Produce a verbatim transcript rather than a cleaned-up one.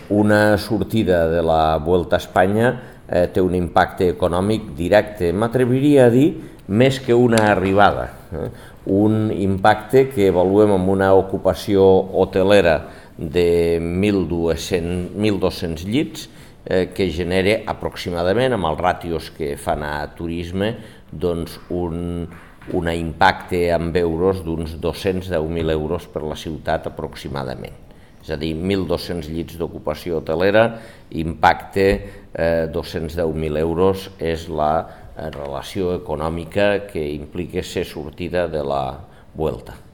una sortida de la Vuelta a Espanya eh, té un impacte econòmic directe, m'atreviria a dir, més que una arribada. Eh? Un impacte que avaluem amb una ocupació hotelera de mil dos-cents llits, eh, que genera aproximadament, amb els ràtios que fan a turisme, doncs un, un impacte en euros d'uns dos-cents deu mil euros per la ciutat aproximadament. És a dir, mil dos-cents llits d'ocupació hotelera, impacte eh, dos-cents deu mil euros és la relació econòmica que implica ser sortida de la Vuelta.